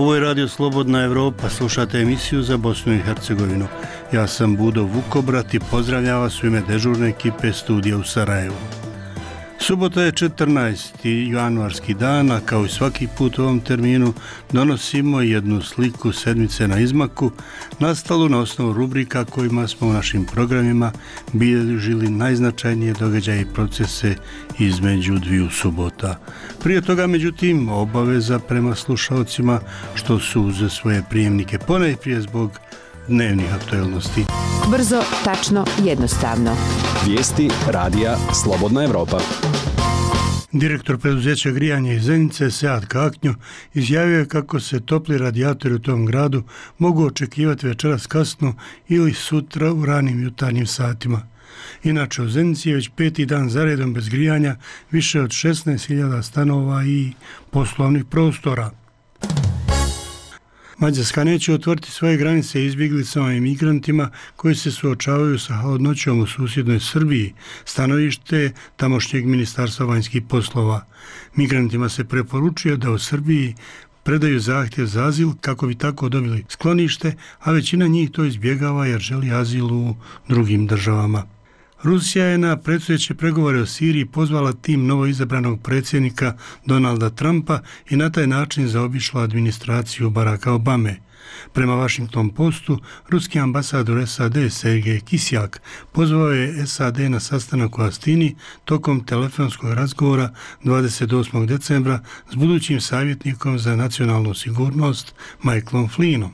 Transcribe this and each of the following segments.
Ovo je Radio Slobodna Evropa, slušate emisiju za Bosnu i Hercegovinu. Ja sam Budo Vukobrat i pozdravljam vas u ime dežurne ekipe studija u Sarajevu. Subota je 14. januarski dan, a kao i svaki put u ovom terminu donosimo jednu sliku sedmice na izmaku, nastalu na osnovu rubrika kojima smo u našim programima bilježili najznačajnije događaje i procese između dviju subota. Prije toga, međutim, obaveza prema slušalcima što su uz svoje prijemnike, ponajprije zbog dnevnih aktualnosti. Brzo, tačno, jednostavno. Vijesti radija Slobodna Evropa. Direktor preduzeća grijanja iz Zenice, Sead Kaknjo, izjavio je kako se topli radijatori u tom gradu mogu očekivati večeras kasno ili sutra u ranim jutarnjim satima. Inače, u Zenici je već 5. dan zaredom bez grijanja više od 16.000 stanova i poslovnih prostora. Mađarska neće otvoriti svoje granice izbjeglicama i migrantima koji se suočavaju sa hladnoćom u susjednoj Srbiji, stanovište tamošnjeg ministarstva vanjskih poslova. Migrantima se preporučuje da u Srbiji predaju zahtjev za azil kako bi tako dobili sklonište, a većina njih to izbjegava jer želi azil u drugim državama. Rusija je na predstojeće pregovore o Siriji pozvala tim novoizabranog predsjednika Donalda Trumpa i na taj način zaobišla administraciju Baracka Obame. Prema Washington Postu, ruski ambasador SAD Sergej Kisjak pozvao je SAD na sastanak u Astini tokom telefonskog razgovora 28. decembra s budućim savjetnikom za nacionalnu sigurnost Michaelom Flynnom.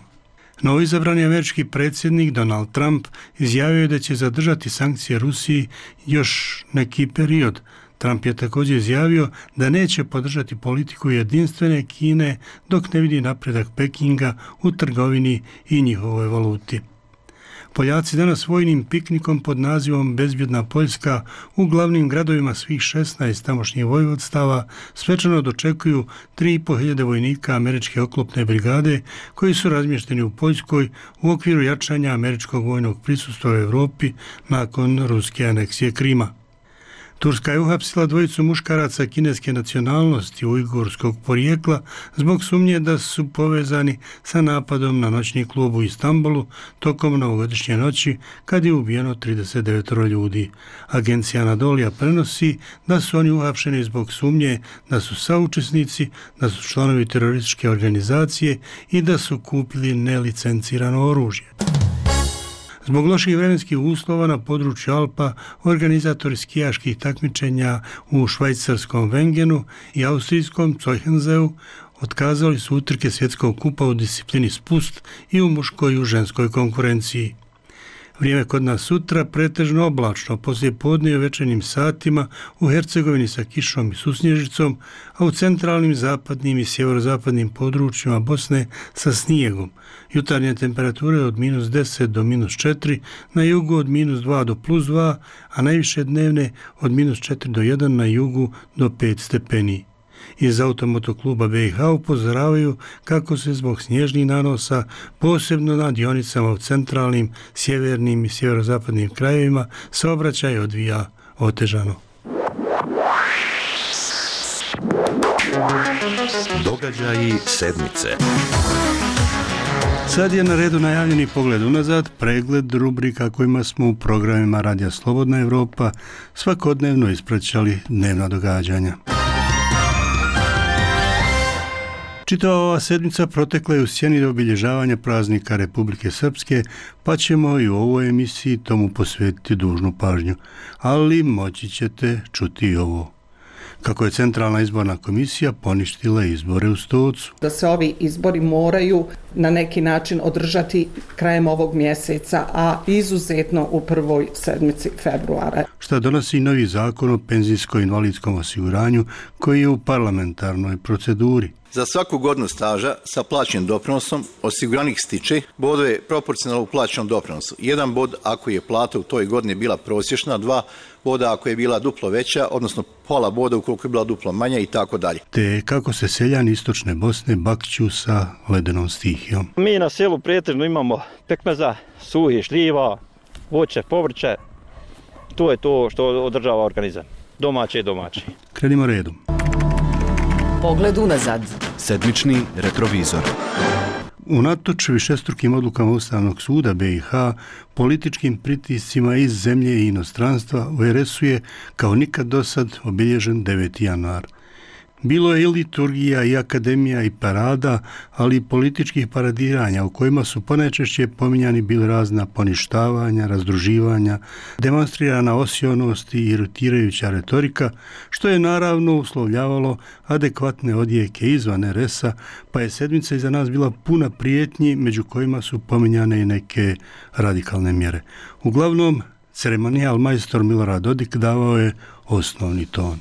Novoizabrani američki predsjednik Donald Trump izjavio je da će zadržati sankcije Rusiji još neki period. Trump je također izjavio da neće podržati politiku jedinstvene Kine dok ne vidi napredak Pekinga u trgovini i njihovoj valuti. Poljaci danas vojnim piknikom pod nazivom Bezbjedna Poljska u glavnim gradovima svih 16 tamošnjih vojvodstava svečano dočekuju 3.500 vojnika američke oklopne brigade koji su razmješteni u Poljskoj u okviru jačanja američkog vojnog prisustva u Europi nakon ruske aneksije Krima. Turska je uhapsila dvojicu muškaraca kineske nacionalnosti ujgurskog porijekla zbog sumnje da su povezani sa napadom na noćni klub u Istanbulu tokom novogodišnje noći kad je ubijeno 39 ljudi. Agencija Anadolija prenosi da su oni uhapšeni zbog sumnje da su saučesnici, da su članovi terorističke organizacije i da su kupili nelicencirano oružje. Zbog loših vremenskih uslova na području Alpa, organizatori skijaških takmičenja u švajcarskom Wengenu i austrijskom Zochenseu otkazali su utrke svjetskog kupa u disciplini spust i u muškoj i u ženskoj konkurenciji. Vrijeme kod nas sutra pretežno oblačno, poslije podne i u večernjim satima u Hercegovini sa kišom i susnježicom, a u centralnim, zapadnim i sjeverozapadnim područjima Bosne sa snijegom. Jutarnje temperature od -10 do -4, na jugu od -2 do +2, a najviše dnevne od -4 do 1 na jugu do 5 stepeni. Iz Automotokluba BiH upozoravaju kako se zbog snježnih nanosa, posebno na dionicama u centralnim, sjevernim i sjeverozapadnim krajevima, saobraćaj odvija otežano. Događaji sedmice. Sad je na redu najavljeni pogled unazad, pregled rubrika kojima smo u programima Radija Slobodna Evropa svakodnevno ispraćali dnevna događanja. Čitava ova sedmica protekla je u sjeni obilježavanja praznika Republike Srpske, pa ćemo i u ovoj emisiji tomu posvetiti dužnu pažnju. Ali moći ćete čuti i ovo. Kako je Centralna izborna komisija poništila izbore u Stocu. Da se ovi izbori moraju na neki način održati krajem ovog mjeseca, a izuzetno u prvoj sedmici februara. Šta donosi novi zakon o penzijsko-invalidskom osiguranju koji je u parlamentarnoj proceduri. Za svaku godinu staža sa plaćenim doprinosom osiguranik stiče bodove proporcionalno plaćenom doprinosu. 1 bod ako je plata u toj godini bila prosječna, 2 boda ako je bila duplo veća, odnosno pola boda ukoliko je bila duplo manja i tako dalje. Te kako se seljani istočne Bosne bakću sa ledenom stihijom. Mi na selu pretežno imamo pekmeza, suhi šljiva, voće, povrće. To je to što održava organizam. Domaće i domaće. Krenimo redom. Pogled unazad. Sedmični retrovizor. Unatoč višestrukim odlukama Ustavnog suda BiH, političkim pritiscima iz zemlje i inostranstva, u RS-u je kao nikad dosad obilježen 9. januar. Bilo je i liturgija i akademija i parada, ali i političkih paradiranja u kojima su ponajčešće pominjani bili razna poništavanja, razdruživanja, demonstrirana osionost i iritirajuća retorika, što je naravno uslovljavalo adekvatne odjeke izvan RS-a, pa je sedmica iza nas bila puna prijetnji, među kojima su pominjane i neke radikalne mjere. Uglavnom, ceremonijal majstor Milorad Dodik davao je osnovni ton.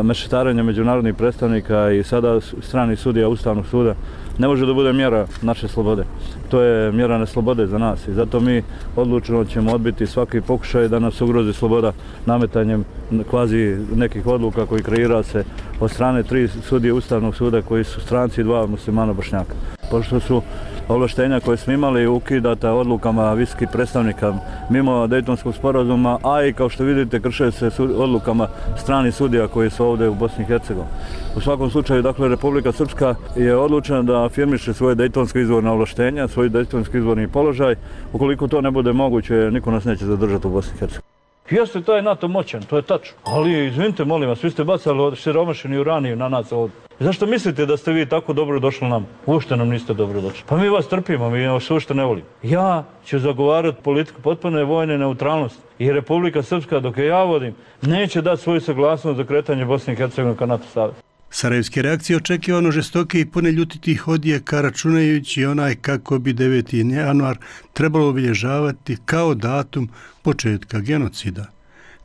Mešetarenje međunarodnih predstavnika i sada stranih sudija Ustavnog suda ne može da bude mjera naše slobode. To je mjera neslobode za nas i zato mi odlučno ćemo odbiti svaki pokušaj da nas ugrozi sloboda nametanjem kvazi nekih odluka koji kreira se od strane 3 sudije Ustavnog suda koji su stranci i 2 muslimana Bošnjaka. Pošto su ovlaštenja koje smo imali ukidata odlukama visokih predstavnika mimo Dejtonskog sporazuma, a i kao što vidite krše se odlukama stranih sudija koji su ovdje u Bosni i Hercegovini. U svakom slučaju, dakle, Republika Srpska je odlučena da afirmiše svoje dejtonsko izvorne ovlaštenja, svoj dejtonski izvorni položaj. Ukoliko to ne bude moguće, niko nas neće zadržati u Bosni i Hercegovini. Jeste, taj NATO moćan, to je tačno. Ali, izvinite, molim vas, vi ste bacali siromašeni uraniju na nas ovdje. Zašto mislite da ste vi tako dobro došli nam? Uopšte nam niste dobro došli. Pa mi vas trpimo, mi vas uopšte ne volimo. Ja ću zagovarati politiku potpune vojne neutralnosti. I Republika Srpska, dok je ja vodim, neće dati svoju saglasnost za kretanje Bosne i Hercegovine ka NATO savezu. Sarajevske reakcije očekivano žestoke i pune ljutitih odjeka, računajući onaj kako bi 9. januar trebalo obilježavati kao datum početka genocida.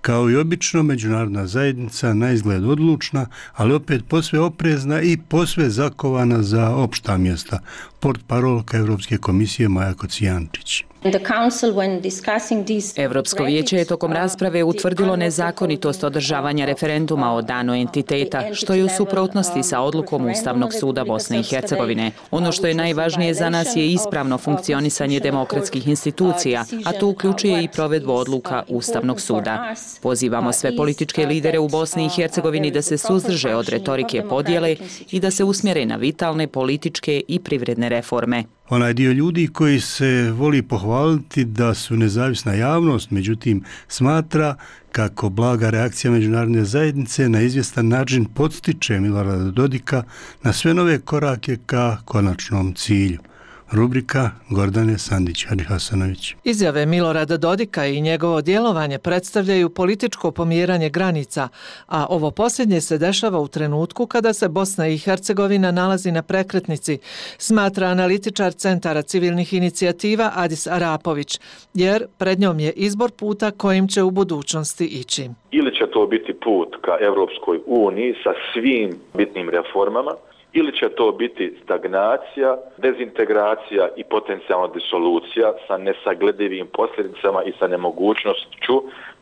Kao i obično, međunarodna zajednica na izgled odlučna, ali opet posve oprezna i posve zakovana za opšta mjesta. Portparolka Evropske komisije Maja Kocijančić. Evropsko vijeće je tokom rasprave utvrdilo nezakonitost održavanja referenduma o danu entiteta, što je u suprotnosti sa odlukom Ustavnog suda Bosne i Hercegovine. Ono što je najvažnije za nas je ispravno funkcionisanje demokratskih institucija, a to uključuje i provedbu odluka Ustavnog suda. Pozivamo sve političke lidere u Bosni i Hercegovini da se suzdrže od retorike podjele i da se usmjere na vitalne političke i privredne reforme. Onaj dio ljudi koji se voli pohvaliti da su nezavisna javnost, međutim smatra kako blaga reakcija međunarodne zajednice na izvjestan način podstiče Milorada Dodika na sve nove korake ka konačnom cilju. Rubrika Gordane Sandić-Hadžihasanović. Izjave Milorada Dodika i njegovo djelovanje predstavljaju političko pomjeranje granica, a ovo posljednje se dešava u trenutku kada se Bosna i Hercegovina nalazi na prekretnici, smatra analitičar Centara civilnih inicijativa Adis Arapović, jer pred njom je izbor puta kojim će u budućnosti ići. Ili će to biti put ka Evropskoj uniji sa svim bitnim reformama, ili će to biti stagnacija, dezintegracija i potencijalna disolucija sa nesagledivim posljedicama i sa nemogućnošću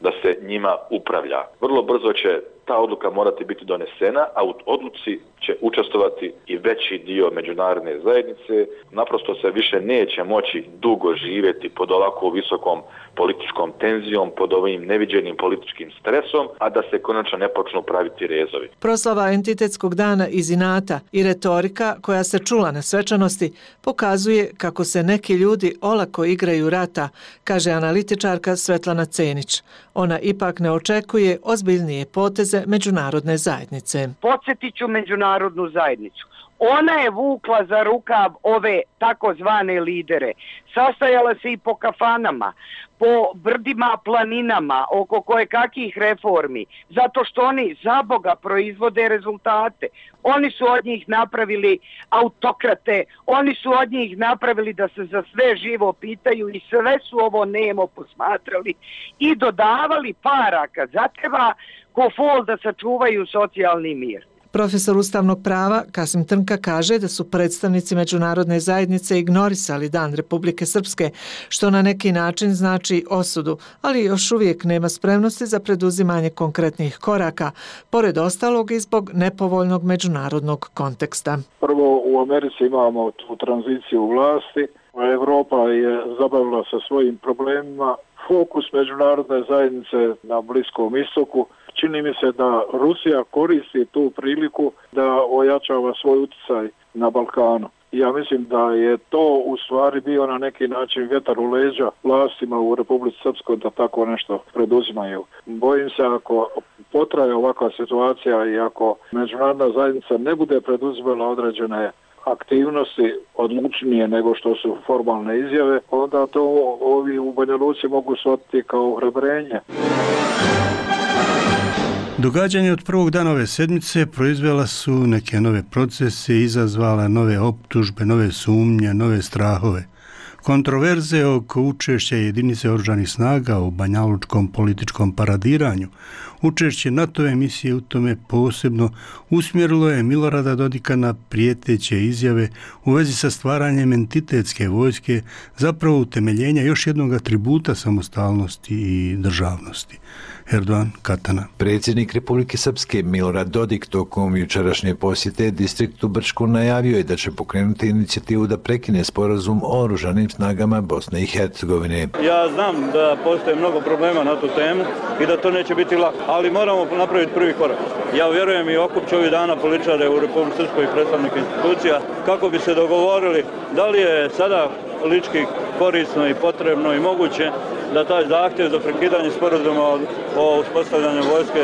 da se njima upravlja. Vrlo brzo će ta odluka morati biti donesena, a u odluci će učestvovati i veći dio međunarodne zajednice. Naprosto se više neće moći dugo živjeti pod ovako visokom političkom tenzijom, pod ovim neviđenim političkim stresom, a da se konačno ne počnu praviti rezovi. Proslava entitetskog dana iz inata i retorika koja se čula na svečanosti pokazuje kako se neki ljudi olako igraju rata, kaže analitičarka Svetlana Cenić. Ona ipak ne očekuje ozbiljnije poteze međunarodne zajednice. Podsjetit ću međunarodnu zajednicu. Ona je vukla za rukav ove takozvane lidere. Sastajala se i po kafanama, po brdima, planinama, oko kojekakih reformi, zato što oni za Boga proizvode rezultate. Oni su od njih napravili autokrate, oni su od njih napravili da se za sve živo pitaju i sve su ovo nemo posmatrali i dodavali para kad zatreba ko fol da sačuvaju socijalni mir. Profesor ustavnog prava Kasim Trnka kaže da su predstavnici međunarodne zajednice ignorisali Dan Republike Srpske, što na neki način znači osudu, ali još uvijek nema spremnosti za preduzimanje konkretnih koraka, pored ostalog i zbog nepovoljnog međunarodnog konteksta. Prvo, u Americi imamo tu tranziciju vlasti, a Evropa je zabavila sa svojim problemima. Fokus međunarodne zajednice na Bliskom istoku čini mi se da Rusija koristi tu priliku da ojačava svoj utjecaj na Balkanu. Ja mislim da je to u stvari bio na neki način vjetar u leđa vlastima u Republici Srpskoj da tako nešto preduzimaju. Bojim se ako potraje ovakva situacija i ako međunarodna zajednica ne bude preduzimala određene aktivnosti odlučnije nego što su formalne izjave, onda to ovi u Banja Luci mogu shvatiti kao ohrabrenje. Događanja od prvog dana ove sedmice proizvela su neke nove procese, izazvala nove optužbe, nove sumnje, nove strahove. Kontroverze oko učešća jedinice oružanih snaga u banjalučkom političkom paradiranju, učešće NATO misije u tome posebno usmjerilo je Milorada Dodika na prijeteće izjave u vezi sa stvaranjem entitetske vojske, zapravo utemeljenja još jednog atributa samostalnosti i državnosti. Erdogan Katana. Predsjednik Republike Srpske Milorad Dodik tokom jučerašnje posjete distriktu Brčko najavio je da će pokrenuti inicijativu da prekine sporazum o oružanim snagama Bosne i Hercegovine. Ja znam da postoje mnogo problema na tu temu i da to neće biti lako, ali moramo napraviti prvi korak. Ja vjerujem i okupću ovih dana političare u Republike Srpskoj i predstavnika institucija kako bi se dogovorili da li je sada politički korisno i potrebno i moguće da taj zahtjev za prekidanje sporazuma o uspostavljanju vojske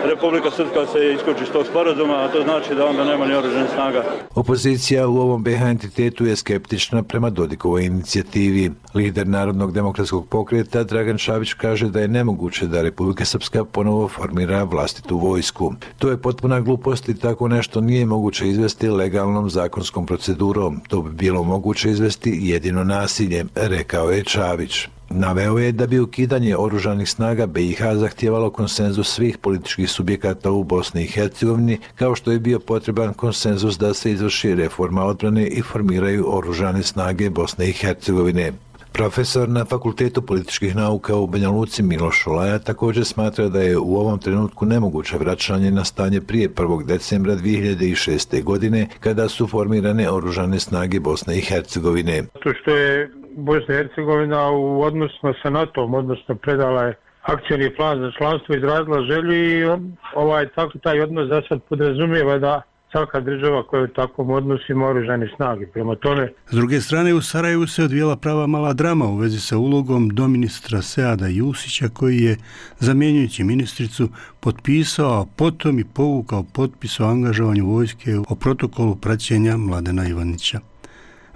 Republika Srpska se isključi iz tog sporazuma, a to znači da onda nema ni oružanih snaga. Opozicija u ovom BiH entitetu je skeptična prema Dodikovoj inicijativi. Lider Narodnog demokratskog pokreta Dragan Šabić kaže da je nemoguće da Republika Srpska ponovo formira vlastitu vojsku. To je potpuna glupost i tako nešto nije moguće izvesti legalnom zakonskom procedurom. To bi bilo moguće izvesti jedino nasiljem, rekao je Šabić. Naveo je da bi ukidanje oružanih snaga BiH zahtijevalo konsenzus svih političkih subjekata u Bosni i Hercegovini, kao što je bio potreban konsenzus da se izvrši reforma odbrane i formiraju oružane snage Bosne i Hercegovine. Profesor na Fakultetu političkih nauka u Banja Luci Miloš Šolaja također smatra da je u ovom trenutku nemoguće vraćanje na stanje prije 1. decembra 2006. godine kada su formirane oružane snage Bosne i Hercegovine. To što je Bosna i Hercegovina u odnosima sa NATO-om, odnosno predala je akcijni plan za članstvo, izrazila želju i taj odnos za sad podrazumijeva da svaka država koja je u takvom odnosu ima oružane snage. Prema tome... S druge strane, u Sarajevu se odvijela prava mala drama u vezi sa ulogom doministra Seada Jusića, koji je, zamjenjujući ministricu, potpisao, a potom i povukao potpis o angažovanju vojske o protokolu praćenja Mladena Ivanića.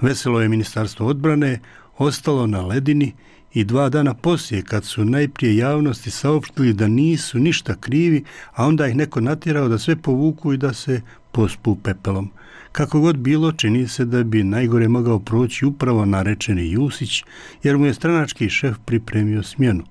Veselo je Ministarstvo odbrane ostalo na ledini i 2 dana poslije, kad su najprije javnosti saopštili da nisu ništa krivi, a onda ih neko natjerao da sve povuku i da se pospu pepelom. Kako god bilo, čini se da bi najgore mogao proći upravo narečeni Jusić, jer mu je stranački šef pripremio smjenu.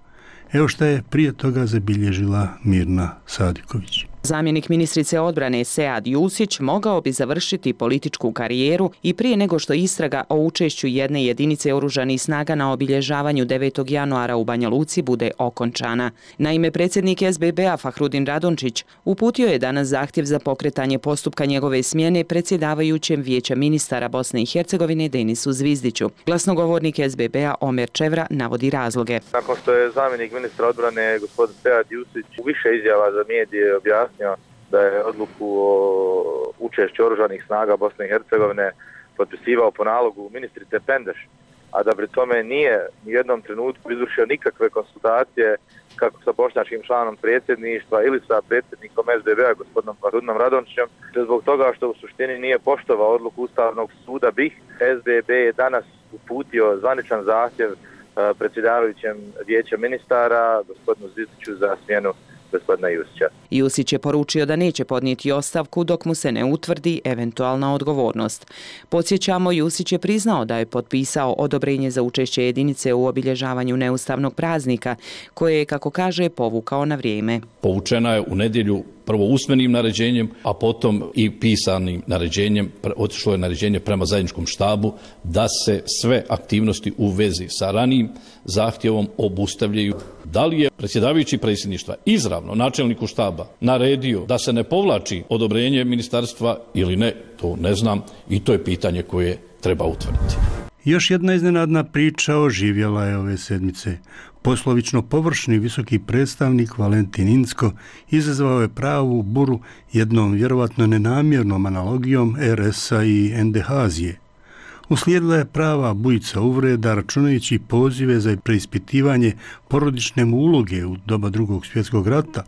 Evo šta je prije toga zabilježila Mirna Sadiković. Zamjenik ministrice odbrane Sead Jusić mogao bi završiti političku karijeru i prije nego što istraga o učešću jedne jedinice oružanih snaga na obilježavanju 9. januara u Banja Luci bude okončana. Naime, predsjednik SBB-a Fahrudin Radončić uputio je danas zahtjev za pokretanje postupka njegove smjene predsjedavajućem Vijeća ministara Bosne i Hercegovine Denisu Zvizdiću. Glasnogovornik SBB-a Omer Čevra navodi razloge. Nakon što je zamjenik ministra odbrane gospodin Sead Jusić u više izjava za medije objasnio da je odluku o učešću oružanih snaga Bosne i Hercegovine potpisivao po nalogu ministrice Pendeš, a da pri tome nije u jednom trenutku izvršio nikakve konsultacije kako sa bošnjačkim članom predsjedništva ili sa predsjednikom SBB-a gospodinom Fahrudinom Radončićem, zbog toga što u suštini nije poštovao odluku Ustavnog suda BiH. SBB je danas uputio zvaničan zahtjev predsjedavajućem Vijeća ministara gospodinu Zvizdiću za smjenu gospodina Jusića. Jusić je poručio da neće podnijeti ostavku dok mu se ne utvrdi eventualna odgovornost. Podsjećamo, Jusić je priznao da je potpisao odobrenje za učešće jedinice u obilježavanju neustavnog praznika, koje je, kako kaže, povukao na vrijeme. Povučena je u nedjelju prvo usmenim naređenjem, a potom i pisanim naređenjem. Otišlo je naređenje prema zajedničkom štabu da se sve aktivnosti u vezi sa ranijim zahtjevom obustavljaju. Da li je predsjedavajući predsjedništva izravno načelniku štaba naredio da se ne povlači odobrenje ministarstva ili ne, to ne znam i to je pitanje koje treba utvrditi. Još jedna iznenadna priča oživjela je ove sedmice. Poslovično površni visoki predstavnik Valentin Incko izazvao je pravu buru jednom vjerovatno nenamjernom analogijom RS-a i NDH-azije. Uslijedila je prava bujica uvreda računajući pozive za preispitivanje porodične mu uloge u doba Drugog svjetskog rata,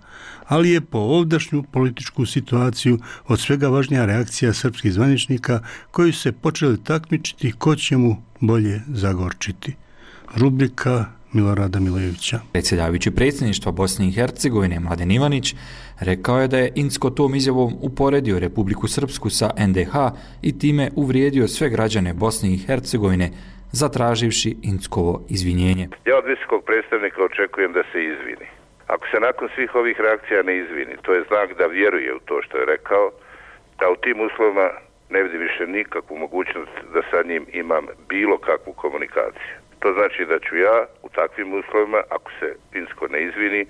ali je po ovdašnju političku situaciju od svega važnija reakcija srpskih zvaničnika koji su se počeli takmičiti ko će mu bolje zagorčiti. Rubrika Milorada Milojevića. Predsjedavajući predsjedništva Bosne i Hercegovine Mladen Ivanić rekao je da je Incko tom izjavom uporedio Republiku Srpsku sa NDH i time uvrijedio sve građane Bosne i Hercegovine, zatraživši Inckovo izvinjenje. Ja od visokog predstavnika očekujem da se izvini. Ako se nakon svih ovih reakcija ne izvini, to je znak da vjeruje u to što je rekao, da u tim uslovima ne vidim više nikakvu mogućnost da sa njim imam bilo kakvu komunikaciju. To znači da ću ja u takvim uslovima, ako se Incko ne izvini,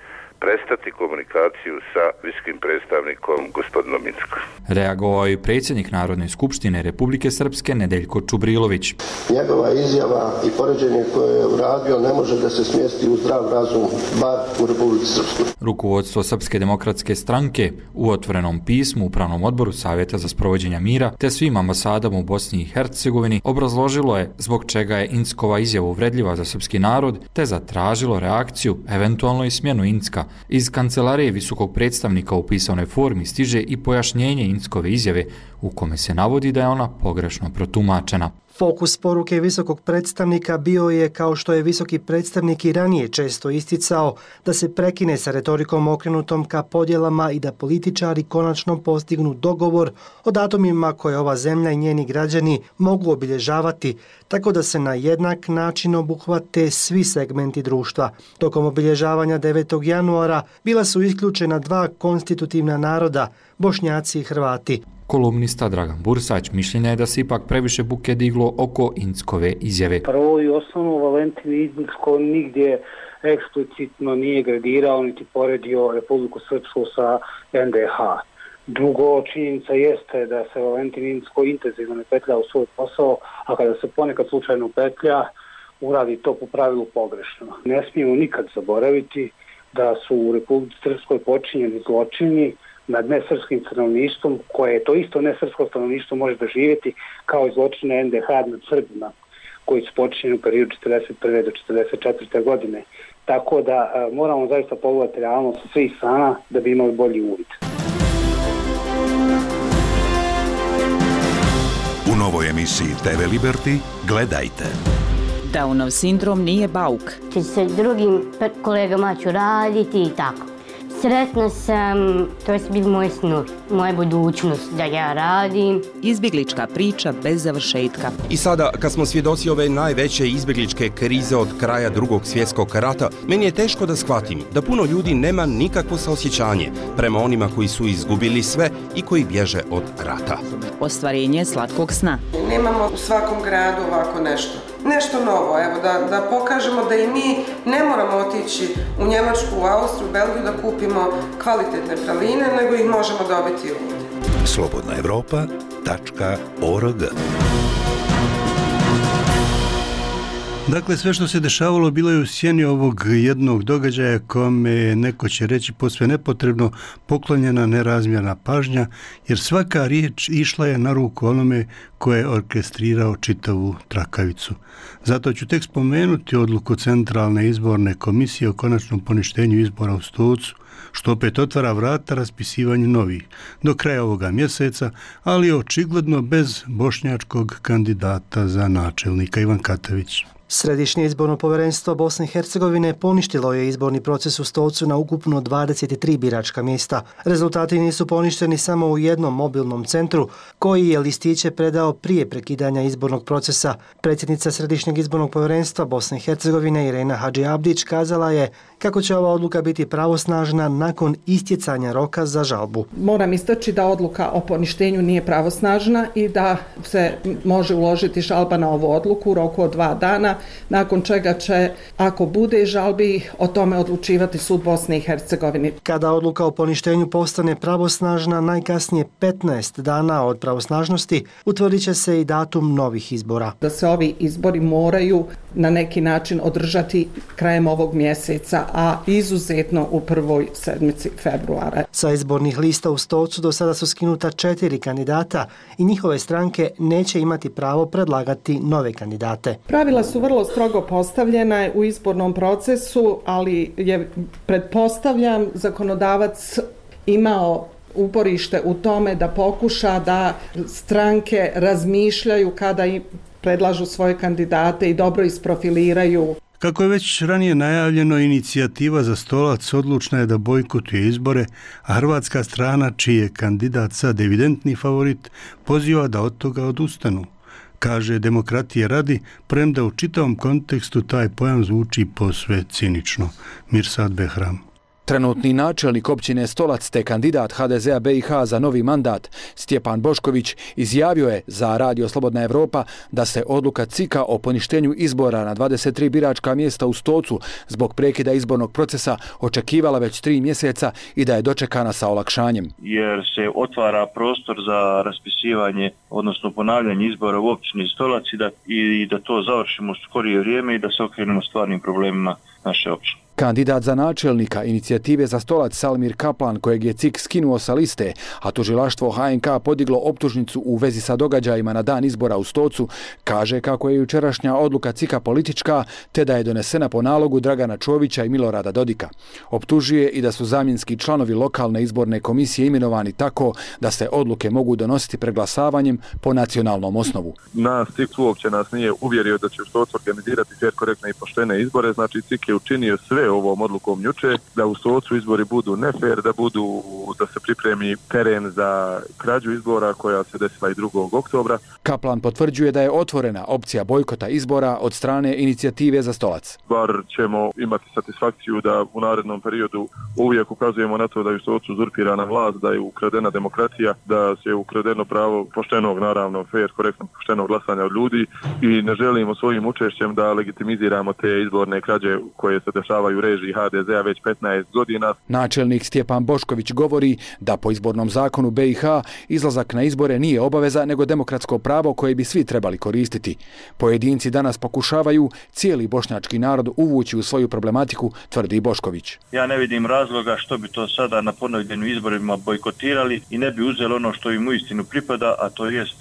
prestati komunikaciju sa visokim predstavnikom gospodinom Incko. Reagovao je predsjednik Narodne skupštine Republike Srpske Nedeljko Čubrilović. Njegova izjava i poređenje koje je uradio ne može da se smjesti u zdrav razum, bar u Republici Srpskoj. Rukovodstvo Srpske demokratske stranke u otvorenom pismu Upravnom odboru Savjeta za sprovođenje mira te svim ambasadama u Bosni i Hercegovini obrazložilo je zbog čega je Inckova izjava uvredljiva za srpski narod te zatražilo reakciju, eventualno i smjenu Incka. Iz kancelarije visokog predstavnika u pisanoj formi stiže i pojašnjenje Inckove izjave u kome se navodi da je ona pogrešno protumačena. Fokus poruke visokog predstavnika bio je, kao što je visoki predstavnik i ranije često isticao, da se prekine sa retorikom okrenutom ka podjelama i da političari konačno postignu dogovor o datumima koje ova zemlja i njeni građani mogu obilježavati, tako da se na jednak način obuhvate svi segmenti društva. Tokom obilježavanja 9. januara bila su isključena dva konstitutivna naroda, Bošnjaci i Hrvati. Kolumnista Dragan Bursać mišljenja je da se ipak previše buke diglo oko Inckove izjave. Prvo i osnovno, Valentin Incko nigdje eksplicitno nije gradirao niti poredio Republiku Srpsku sa NDH. Drugo, činjenica jeste da se Valentin Incko intenzivno ne petlja u svoj posao, a kada se ponekad slučajno petlja, uradi to po pravilu pogrešno. Ne smijemo nikad zaboraviti da su u Republici Srpskoj počinjeni zločini nad nesrpskim stanovništvom, koje to isto nesrpsko stanovništvo može doživjeti kao i zločine NDH nad Srbima, koji su počinjeni u periodu 1941. do 1944. godine. Tako da moramo zaista pogledati realnost svih strana da bi imali bolji uvid. U novoj emisiji TV Liberty gledajte. Downov sindrom nije bauk. Sa drugim kolegama ću raditi i tako. Sretna sam, to je bil moj snu, moja budućnost da ja radim. Izbjeglička priča bez završetka. I sada, kad smo svjedoci ove najveće izbjegličke krize od kraja Drugog svjetskog rata, meni je teško da shvatim da puno ljudi nema nikakvo saosjećanje prema onima koji su izgubili sve i koji bježe od rata. Ostvarenje slatkog sna. Nemamo u svakom gradu ovako nešto. Nešto novo, evo, da pokažemo da i mi ne moramo otići u Njemačku, u Austriju, u Belgiju da kupimo kvalitetne praline, nego ih možemo dobiti ovdje. slobodnaevropa.org. Dakle, sve što se dešavalo bilo je u sjeni ovog jednog događaja kome je, neko će reći posve nepotrebno, poklonjena nerazmjerna pažnja, jer svaka riječ išla je na ruku onome koje je orkestrirao čitavu trakavicu. Zato ću tek spomenuti odluku Centralne izborne komisije o konačnom poništenju izbora u Stocu, što opet otvara vrata raspisivanju novih do kraja ovoga mjeseca, ali očigledno bez bošnjačkog kandidata za načelnika. Ivan Katavić. Središnje izborno povjerenstvo Bosne i Hercegovine poništilo je izborni proces u Stolcu na ukupno 23 biračka mjesta. Rezultati nisu poništeni samo u jednom mobilnom centru, koji je listiće predao prije prekidanja izbornog procesa. Predsjednica Središnjeg izbornog povjerenstva Bosne i Hercegovine Irena Hadži Abdić kazala je kako će ova odluka biti pravosnažna nakon istjecanja roka za žalbu. Moram istaći da odluka o poništenju nije pravosnažna i da se može uložiti žalba na ovu odluku u roku od 2 dana, nakon čega će, ako bude žalbi, o tome odlučivati sud Bosne i Hercegovine. Kada odluka o poništenju postane pravosnažna, najkasnije 15 dana od pravosnažnosti, utvrdit će se i datum novih izbora. Da se ovi izbori moraju na neki način održati krajem ovog mjeseca, a izuzetno u prvoj sedmici februara. Sa izbornih lista u Stocu do sada su skinuta 4 kandidata i njihove stranke neće imati pravo predlagati nove kandidate. Pravila su vrlo strogo postavljena u izbornom procesu, ali je, pretpostavljam, zakonodavac imao uporište u tome da pokuša da stranke razmišljaju kada predlažu svoje kandidate i dobro isprofiliraju. Kako je već ranije najavljeno, inicijativa za Stolac odlučna je da bojkotuje izbore, a hrvatska strana, čiji je kandidat sad evidentni favorit, poziva da od toga odustanu. Kaže Demokratije radi, premda u čitavom kontekstu taj pojam zvuči posve cinično. Mirsad Behram. Trenutni načelnik općine Stolac te kandidat HDZ-a BiH za novi mandat Stjepan Bošković izjavio je za Radio Slobodna Evropa da se odluka CIK-a o poništenju izbora na 23 biračka mjesta u Stocu zbog prekida izbornog procesa očekivala već 3 mjeseca i da je dočekana sa olakšanjem. Jer se otvara prostor za raspisivanje, odnosno ponavljanje izbora u općini Stolac i da to završimo u skorije vrijeme i da se okrenemo stvarnim problemima naše općine. Kandidat za načelnika inicijative za Stolac Salmir Kaplan, kojeg je CIK skinuo sa liste, a tužilaštvo HNK podiglo optužnicu u vezi sa događajima na dan izbora u Stocu, kaže kako je jučerašnja odluka CIK-a politička, te da je donesena po nalogu Dragana Čovića i Milorada Dodika. Optužuje i da su zamjenski članovi lokalne izborne komisije imenovani tako da se odluke mogu donositi preglasavanjem po nacionalnom osnovu. Nas CIK uopće nas nije uvjerio da će u Stocu organizirati fer, korektne i poštene izbore, znači CIK je učinio sve ovom odlukom juče, da u Stocu izbori budu nefer, da se pripremi teren za krađu izbora koja se desila i 2. oktobra. Kaplan potvrđuje da je otvorena opcija bojkota izbora od strane inicijative za Stolac. Bar ćemo imati satisfakciju da u narednom periodu uvijek ukazujemo na to da je u Stocu uzurpirana vlast, da je ukradena demokracija, da se ukradeno pravo poštenog, naravno, fer, korektnog, poštenog glasanja od ljudi i ne želimo svojim učešćem da legitimiziramo te izborne krađe koje se dešavaju u režiji HDZ-a već 15 godina. Načelnik Stjepan Bošković govori da po izbornom zakonu BiH izlazak na izbore nije obaveza nego demokratsko pravo koje bi svi trebali koristiti. Pojedinci danas pokušavaju cijeli bošnjački narod uvući u svoju problematiku, tvrdi Bošković. Ja ne vidim razloga što bi to sada na ponovljenim izborima bojkotirali i ne bi uzeli ono što im uistinu pripada, a to jest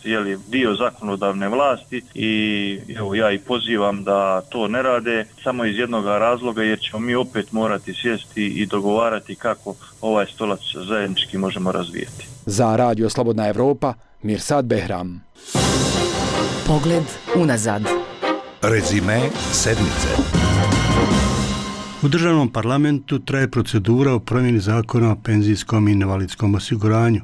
dio zakonodavne vlasti i evo ja i pozivam da to ne rade samo iz jednog razloga jer ćemo mi opet morati sjesti i dogovarati kako ovaj Stolac zajednički možemo razvijeti. Za Radio Slobodna Evropa, Mirsad Behram. Pogled unazad. Rezime sedmice. U državnom parlamentu traje procedura o promjeni zakona o penzijskom i invalidskom osiguranju.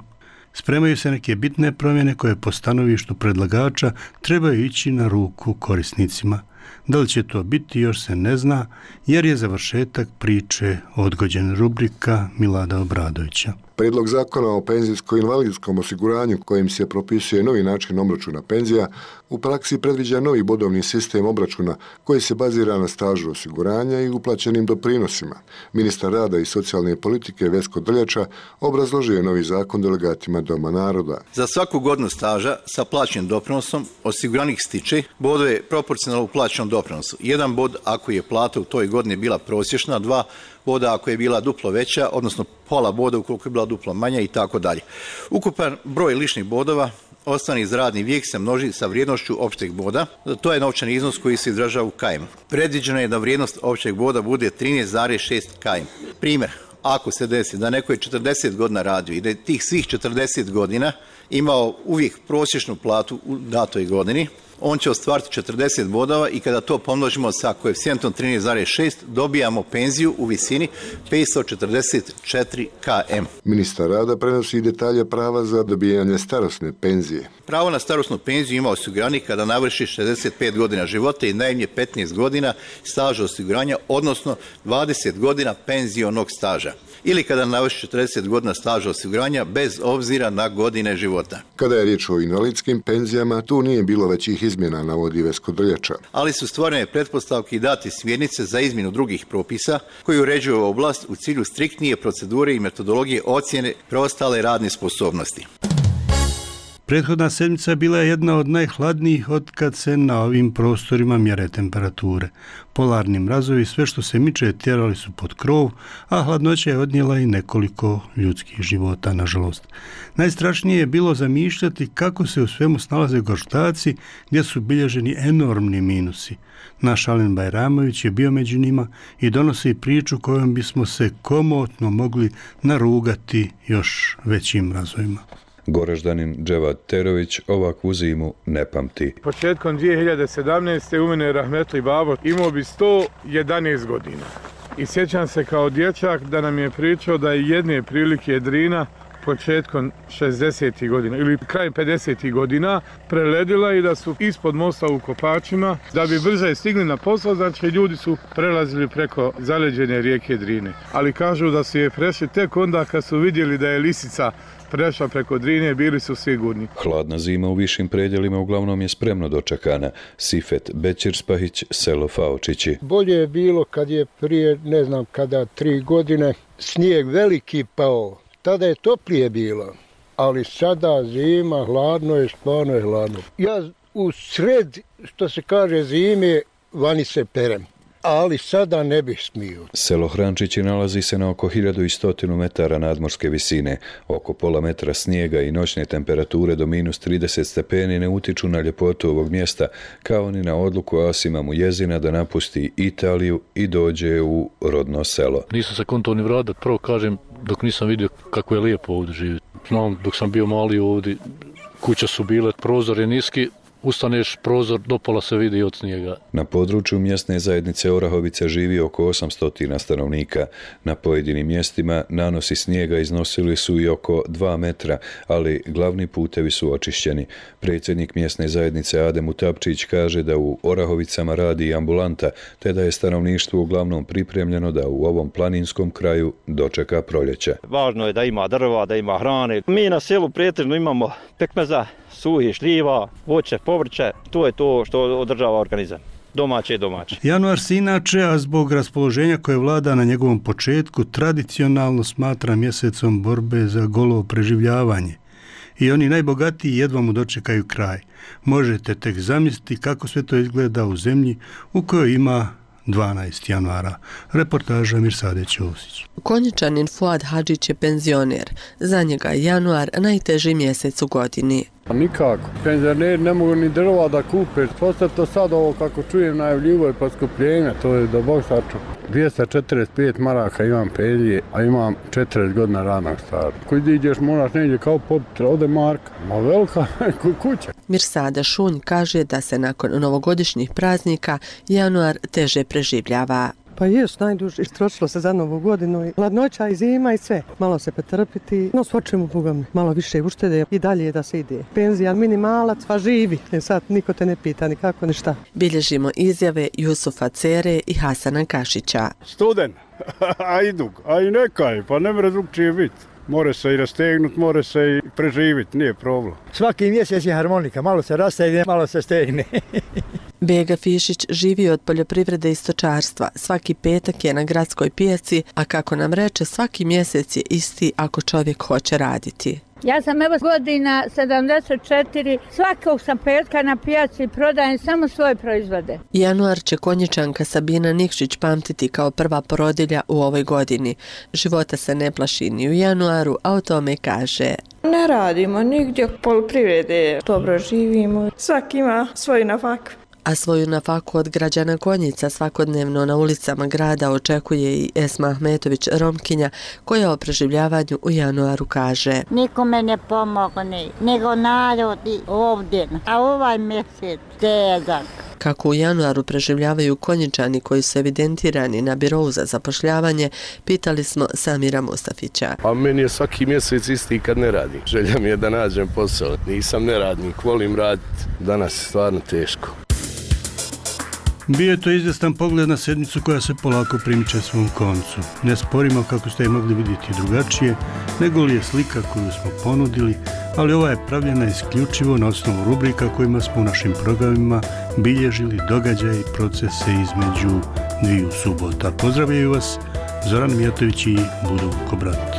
Spremaju se neke bitne promjene koje po stanovištu predlagača trebaju ići na ruku korisnicima. Da li će to biti još se ne zna, jer je završetak priče odgođen. Rubrika Milada Obradovića. Prijedlog zakona o penzijsko-invalidskom osiguranju kojim se propisuje novi način obračuna penzija u praksi predviđa novi bodovni sistem obračuna koji se bazira na stažu osiguranja i uplaćenim doprinosima. Ministar rada i socijalne politike Vesko Drljača obrazložio je novi zakon delegatima Doma naroda. Za svaku godinu staža sa plaćenim doprinosom osiguranik stiče bodove proporcionalno uplaćenom doprinosu. 1 bod ako je plata u toj godini bila prosječna, 2 boda ako je bila duplo veća, odnosno pola boda ukoliko je bila duplo manja i tako dalje. Ukupan broj ličnih bodova ostvareni za radni vijek se množi sa vrijednošću opšteg boda. To je novčani iznos koji se izražava u km. Predviđeno je da vrijednost opšteg boda bude 13,6 km. Primjer, ako se desi da neko je 40 godina radio i da je tih svih 40 godina imao uvijek prosječnu platu u datoj godini, on će ostvariti 40 bodova i kada to pomnožimo sa koeficijentom 13,6 dobijamo penziju u visini 544 km. Ministar rada prenosi detalje prava za dobijanje starosne penzije. Pravo na starosnu penziju ima osiguranik kada navrši 65 godina života i najmanje 15 godina staža osiguranja, odnosno 20 godina penzionog staža. Ili kada navrši 40 godina staža osiguranja bez obzira na godine života. Kada je riječ o invalidskim penzijama, tu nije bilo većih izmjena, navodi Vesko Drljača. Ali su stvorene pretpostavke i dati smjernice za izmjenu drugih propisa koji uređuju oblast u cilju striktnije procedure i metodologije ocjene preostale radne sposobnosti. Prethodna sedmica bila je jedna od najhladnijih od kad se na ovim prostorima mjere temperature. Polarni mrazovi sve što se miče tjerali su pod krov, a hladnoća je odnijela i nekoliko ljudskih života, nažalost. Najstrašnije je bilo zamišljati kako se u svemu snalaze gorštaci gdje su bilježeni enormni minusi. Naš Alen Bajramović je bio među njima i donosi priču kojom bismo se komotno mogli narugati još većim mrazovima. Goraždanin Dževad Terović ovakvu zimu ne pamti. Početkom 2017. u mene Rahmetli Babo imao bi 111 godina. I sjećam se kao dječak da nam je pričao da je jedne prilike Drina početkom 60. godina ili krajem 50. godina preledila i da su ispod mosta u Kopačima da bi brže stigli na posao, znači ljudi su prelazili preko zaleđene rijeke Drine. Ali kažu da su je prešli tek onda kad su vidjeli da je lisica prešla preko Drine, bili su sigurni. Hladna zima u višim predjelima uglavnom je spremno dočekana. Sifet Bećirspahić, selo Faočići. Bolje je bilo kad je prije, ne znam kada, 3 godine, snijeg veliki pao. Tada je toplije bilo, ali sada zima, hladno je, stvarno je hladno. Ja u sred, što se kaže, zime, vani se perem. Ali sada ne bih smio. Selo Hrančići nalazi se na oko 1100 metara nadmorske visine. Oko pola metra snijega i noćne temperature do minus 30 stepeni ne utiču na ljepotu ovog mjesta, kao ni na odluku Asima Mujezina da napusti Italiju i dođe u rodno selo. Nisam se konto ni vratit, prvo kažem, dok nisam vidio kako je lijepo ovdje živjeti. Znam, dok sam bio mali ovdje, kuće su bile, prozor je niski, ustaneš prozor, do pola se vidi od snijega. Na području mjesne zajednice Orahovica živi oko 800 stanovnika. Na pojedinim mjestima nanosi snijega iznosili su i oko 2 metra, ali glavni putevi su očišćeni. Predsjednik mjesne zajednice Adem Utapčić kaže da u Orahovicama radi i ambulanta, te da je stanovništvo uglavnom pripremljeno da u ovom planinskom kraju dočeka proljeće. Važno je da ima drva, da ima hrane. Mi na selu pretežno imamo pekmeza, suhi šljiva, voće, povrće, to je to što održava organizam. Domaće i domaće. Januar se inače, a zbog raspoloženja koje vlada na njegovom početku, tradicionalno smatra mjesecom borbe za golo preživljavanje. I oni najbogatiji jedva mu dočekaju kraj. Možete tek zamisliti kako sve to izgleda u zemlji u kojoj ima 12 januara. Reportaža Mirsade Ćosić. Konjičanin Fuad Hadžić je penzioner. Za njega je januar najteži mjesec u godini. Nikako. Penzioneri ne mogu ni drva da kupe. Posto to sad ovo kako čujem najavljivo je poskupljenje. To je da Bog sačuva. 245 maraka imam penzije, a imam 40 godina radnog staža. Koji ideš moraš negdje kao popiti, ode marka. Ma velika kuća. Mirsada Šunj kaže da se nakon novogodišnjih praznika januar teže preživljava. Pa jes, najduže istrošilo se za novu godinu i hladnoća i zima i sve. Malo se pretrpiti, no svočemu bogom, malo više uštede i dalje da se ide. Penzija minimalac, pa živi. Sad niko te ne pita ni kako ni šta. Bilježimo izjave Jusufa Cere i Hasana Kašića. Student, a idug, a i nekaj, pa ne mre drugčije biti. More se i rastegnut, more se i preživiti, nije problem. Svaki mjesec je harmonika, malo se rastegne, malo se stegne. Bega Fišić živi od poljoprivrede i stočarstva. Svaki petak je na gradskoj pijaci, a kako nam reče, svaki mjesec je isti ako čovjek hoće raditi. Ja sam evo godina 74, svakog sam petka na pijaci i prodajem samo svoje proizvode. Januar će Konjičanka Sabina Nikšić pamtiti kao prva porodilja u ovoj godini. Života se ne plaši ni u januaru, a o tome kaže: ne radimo nigdje poljoprivrede, dobro živimo, svaki ima svoj nafak. A svoju nafaku od građana Konjica svakodnevno na ulicama grada očekuje i Esma Ahmetović, Romkinja, koja o preživljavanju u januaru kaže: Nikome ne pomogne, nego narodi ovdje, a ovaj mjesec težak. Kako u januaru preživljavaju Konjičani koji su evidentirani na birou za zapošljavanje, pitali smo Samira Mustafića. A meni je svaki mjesec isti kad ne radim. Želja mi je da nađem posao. Nisam neradnik, volim raditi. Danas je stvarno teško. Bio je to izvjestan pogled na sedmicu koja se polako primiče svom koncu. Ne sporimo, kako ste je mogli vidjeti drugačije, nego li je slika koju smo ponudili, ali ova je pravljena isključivo na osnovu rubrika kojima smo u našim programima bilježili događaje i procese između dviju subota. Pozdravljaju vas Zoran Mijatović i Budu Kobrat.